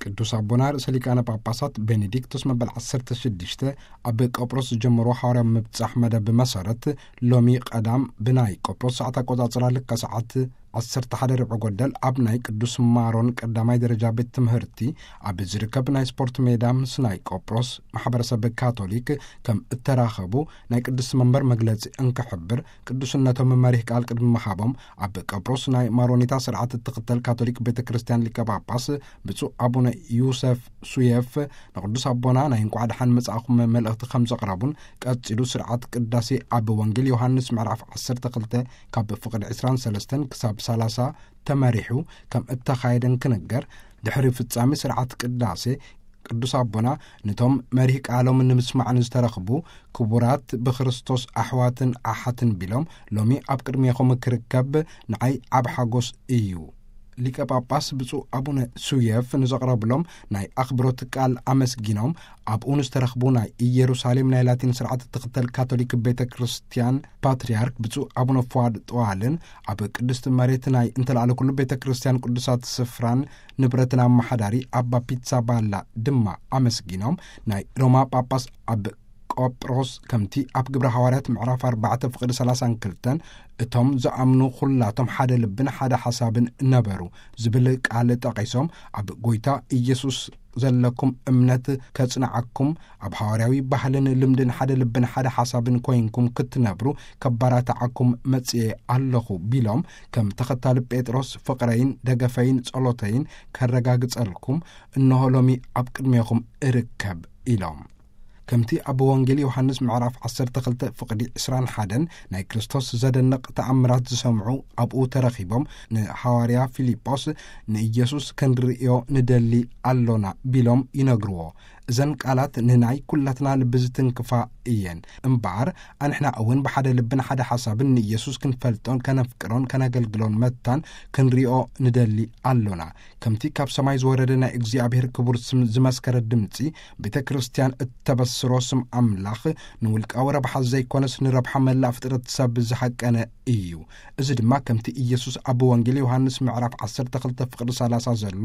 ቅዱስ ኣቦና ርእሰ ሊቃነ ጳጳሳት ቤኔዲክቶስ መበል ዓሰርተ ሽዱሽተ ኣብ ቆጵሮስ ዝጀመሮ ሓዋርያዊ ምብጻሕ መደብ መሰረት፣ ሎሚ ቀዳም ብናይ ቆጵሮስ ሰዓት ኣቆጻጽራ ልካ ሰዓት ዓሰርተ ሓደ ርብዒ ጎደል ኣብ ናይ ቅዱስ ማሮን ቀዳማይ ደረጃ ቤት ትምህርቲ ኣብ ዝርከብ ናይ ስፖርት ሜዳ ምስ ናይ ቆጵሮስ ማሕበረሰብ ካቶሊክ ከም እተራኸቡ ናይ ቅዱስ መንበር መግለጺ እንክሕብር፣ ቅዱስነቶም መሪህ ቃል ቅድሚ ምሃቦም፣ ኣብ ቆጵሮስ ናይ ማሮኒታ ስርዓት እትኽተል ካቶሊክ ቤተ ክርስቲያን ሊቀ ጳጳስ ብፁዕ ኣቡነ ዩሰፍ ሱየፍ ንቅዱስ ኣቦና ናይ እንቋዕ ደሓን መጻእኹም መልእኽቲ ከም ዘቕረቡን፣ ቀጺሉ ስርዓት ቅዳሴ ኣብ ወንጌል ዮሃንስ ምዕራፍ ዓሰርተ ክልተ ካብ ፍቕዲ ዕስራን ሰለስተን ክሳብ ሰላሳ ተመሪሑ ከም እተኻየደን ክንገር፣ ድሕሪ ፍጻሜ ስርዓት ቅዳሴ ቅዱስ ኣቦና ነቶም መሪህ ቃሎም ንምስማዕ ንዝተረኽቡ ክቡራት ብክርስቶስ ኣሕዋትን ኣሓትን ቢሎም፣ ሎሚ ኣብ ቅድሜኹም ክርከብ ንዓይ ዓብ ሓጎስ እዩ። ሊቀ ጳጳስ ብፁዕ ኣቡነ ሱየፍ ንዘቕረብሎም ናይ ኣኽብሮት ቃል ኣመስጊኖም፣ ኣብኡ ንዝተረኽቡ ናይ ኢየሩሳሌም ናይ ላቲን ስርዓት እትኽተል ካቶሊክ ቤተ ክርስቲያን ፓትርያርክ ብፁዕ ኣቡነ ፍዋድ ጠዋልን፣ ኣብ ቅድስቲ መሬት ናይ እንተላዕለ ኩሉ ቤተ ክርስቲያን ቅዱሳት ስፍራን ንብረትን ኣመሓዳሪ ኣባ ፒትሳ ባላ ድማ ኣመስጊኖም፣ ናይ ሮማ ጳጳስ ኣብ ቆጵሮስ ከምቲ ኣብ ግብረ ሃዋርያት ምዕራፍ ኣርባዕተ ፍቕዲ ሰላሳን ክልተን፣ "እቶም ዝኣምኑ ኩላቶም ሓደ ልብን ሓደ ሓሳብን ነበሩ" ዝብል ቃል ጠቒሶም፣ ኣብ ጎይታ ኢየሱስ ዘለኩም እምነት ከጽንዓኩም፣ ኣብ ሃዋርያዊ ባህልን ልምድን ሓደ ልብን ሓደ ሓሳብን ኮይንኩም ክትነብሩ ከባራትዓኩም መጽኤ ኣለኹ ቢሎም፣ ከም ተኸታሊ ጴጥሮስ ፍቕረይን ደገፈይን ጸሎተይን ከረጋግጸልኩም እንሆ ሎሚ ኣብ ቅድሜኹም እርከብ ኢሎም። ከምቲ ኣብ ወንጌል ዮሃንስ ምዕራፍ ዓሰርተ ክልተ ፍቕዲ ዕስራን ሓደን ናይ ክርስቶስ ዘደንቕ ተኣምራት ዝሰምዑ ኣብኡ ተረኺቦም ንሃዋርያ ፊልጶስ "ንኢየሱስ ክንርእዮ ንደሊ ኣሎና" ቢሎም ይነግርዎ። እዘን ቃላት ንናይ ኩላትና ልቢ ዝትንክፋ እየን። እምበኣር ኣንሕና እውን ብሓደ ልብን ሓደ ሓሳብን ንኢየሱስ ክንፈልጦን ከነፍቅሮን ከነገልግሎን መታን ክንሪኦ ንደሊ ኣሎና። ከምቲ ካብ ሰማይ ዝወረደ ናይ እግዚኣብሔር ክቡር ስም ዝመስከረ ድምጺ፣ ቤተ ክርስቲያን እተበስሮ ስም ኣምላኽ ንውልቃዊ ረብሓ ዘይኮነስ ንረብሓ መላእ ፍጥረት ሰብ ዝሃቀነ እዩ። እዚ ድማ ከምቲ ኢየሱስ ኣብ ወንጌል ዮሃንስ ምዕራፍ ዓሰርተ ክልተ ፍቕዲ ሰላሳ ዘሎ፣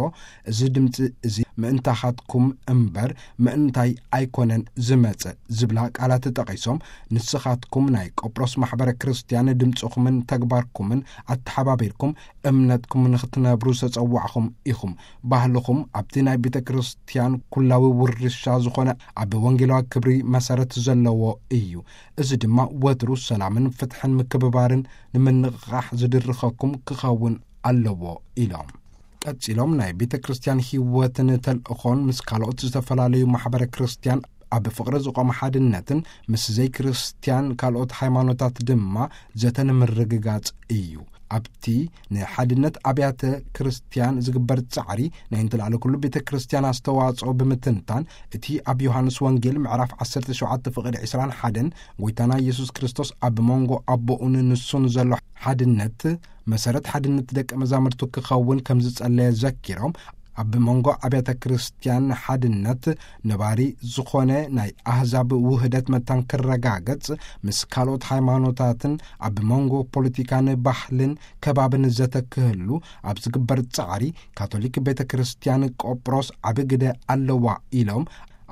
"እዚ ድምጺ እዚ ምእንታኻትኩም እምበር ምእንታይ ኣይኮነን ዝመጸ" ዝብላ ቃላት ጠቒሶም፣ "ንስኻትኩም ናይ ቆጵሮስ ማሕበረ ክርስቲያን ድምጽኹምን ተግባርኩምን ኣተሓባቢርኩም እምነትኩም ንኽትነብሩ ዝተጸዋዕኹም ኢኹም። ባህልኹም ኣብቲ ናይ ቤተ ክርስቲያን ኩላዊ ውርሻ ዝኾነ ኣብ ወንጌላዊ ክብሪ መሰረት ዘለዎ እዩ። እዚ ድማ ወትሩ ሰላምን ፍትሕን ምክብባርን ንምንቕቓሕ ዝድርኸኩም ክኸውን ኣለዎ" ኢሎም። ቀጺሎም ናይ ቤተ ክርስቲያን ህይወትን ተልእኾን ምስ ካልኦት ዝተፈላለዩ ማሕበረ ክርስቲያን ኣብ ፍቕሪ ዝቖመ ሓድነትን ምስ ዘይክርስቲያን ካልኦት ሃይማኖታት ድማ ዘተ ንምርግጋጽ እዩ። ኣብቲ ንሓድነት ኣብያተ ክርስቲያን ዝግበር ጻዕሪ ናይ እንተላዕለ ኩሉ ቤተ ክርስቲያን ኣስተዋጽኦ ብምትንታን፣ እቲ ኣብ ዮሃንስ ወንጌል ምዕራፍ ዓሰርተ ሸውዓተ ፍቕዲ ዕስራን ሓደን ጎይታና ኢየሱስ ክርስቶስ ኣብ መንጎ ኣቦኡን ንሱን ዘሎ ሓድነት መሰረት ሓድነት ደቀ መዛሙርቱ ክኸውን ከም ዝጸለየ ዘኪሮም፣ ኣብ መንጎ ኣብያተ ክርስቲያን ሓድነት ነባሪ ዝኾነ ናይ ኣህዛብ ውህደት መታን ክረጋገጽ፣ ምስ ካልኦት ሃይማኖታትን ኣብ መንጎ ፖለቲካን ባህልን ከባብን ዘተ ክህሉ ኣብ ዝግበር ጻዕሪ፣ ካቶሊክ ቤተ ክርስቲያን ቆጵሮስ ዓቢ ግደ ኣለዋ ኢሎም፣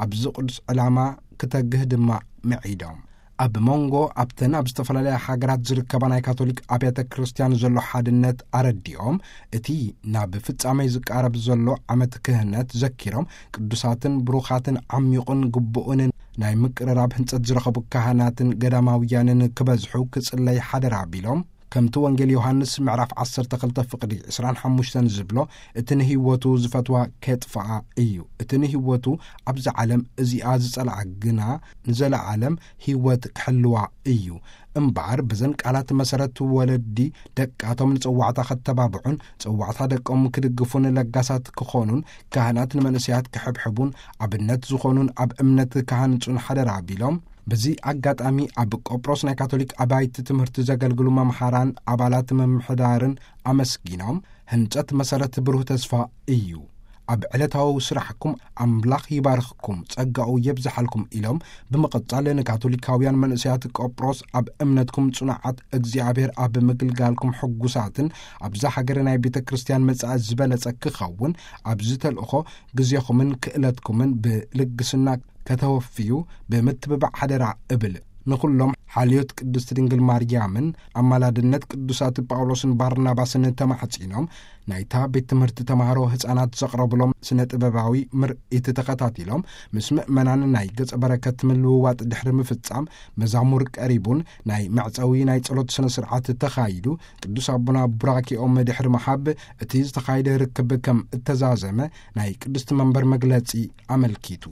ኣብዚ ቅዱስ ዕላማ ክተግህ ድማ ምዒዶም። ኣብ መንጎ ኣብተን ኣብ ዝተፈላለያ ሃገራት ዝርከባ ናይ ካቶሊክ ኣብያተ ክርስቲያን ዘሎ ሓድነት ኣረዲኦም፣ እቲ ናብ ፍጻሜ ዝቃረብ ዘሎ ዓመት ክህነት ዘኪሮም፣ ቅዱሳትን ብሩኻትን ዓሚቑን ግቡእን ናይ ምቅርራብ ህንጸት ዝረኸቡ ካህናትን ገዳማውያንን ክበዝሑ ክጽለይ ሓደራ ቢሎም፣ ከምቲ ወንጌል ዮሃንስ ምዕራፍ ዓሰርተ ክልተ ፍቕዲ ዕስራን ሓሙሽተን ዝብሎ፣ "እቲ ንህይወቱ ዝፈትዋ ኬጥፍኣ እዩ፣ እቲ ንህይወቱ ኣብዛ ዓለም እዚኣ ዝጸልኣ ግና ንዘለዓለም ህይወት ክሕልዋ እዩ" እምበኣር፣ በዘን ቃላት መሰረት ወለዲ ደቃቶም ንጸዋዕታ ከተባብዑን ጸዋዕታ ደቆም ክድግፉን ለጋሳት ክኾኑን፣ ካህናት ንመንእሰያት ክሕብሕቡን ኣብነት ዝኾኑን ኣብ እምነት ክሃንጹን ሓደራ ቢሎም፣ በዚ ኣጋጣሚ ኣብ ቆጵሮስ ናይ ካቶሊክ ኣባይቲ ትምህርቲ ዘገልግሉ መምሃራን ኣባላት ምምሕዳርን ኣመስጊኖም፣ ህንጸት መሰረት ብሩህ ተስፋ እዩ። ኣብ ዕለታዊ ስራሕኩም ኣምላኽ ይባርኽኩም፣ ጸጋኡ የብዝሓልኩም ኢሎም ብምቕጻል ንካቶሊካውያን መንእሰያት ቆጵሮስ ኣብ እምነትኩም ጽኑዓት፣ እግዚኣብሔር ኣብ ምግልጋልኩም ሕጉሳትን ኣብዛ ሃገር ናይ ቤተ ክርስቲያን መጻኢ ዝበለጸ ክኸውን ኣብዚ ተልእኾ ግዜኹምን ክእለትኩምን ብልግስና ከተወፍዩ ብምትብባዕ ሓደራ እብል። ንኹሎም ሓልዮት ቅድስት ድንግል ማርያምን ኣማላድነት ቅዱሳት ጳውሎስን ባርናባስን ተማሕጺኖም ናይታ ቤት ትምህርቲ ተማሃሮ ህፃናት ዘቕረብሎም ስነ ጥበባዊ ምርኢት ተኸታቲሎም ምስ ምእመናን ናይ ገጸ በረከት ምልውዋጥ ድሕሪ ምፍጻም መዛሙር ቀሪቡን ናይ መዕጸዊ ናይ ጸሎት ስነ ስርዓት ተኻይዱ። ቅዱስ ኣቦና ቡራኪኦም ድሕሪ መሃብ እቲ ዝተኻየደ ርክብ ከም እተዛዘመ ናይ ቅድስቲ መንበር መግለጺ ኣመልኪቱ።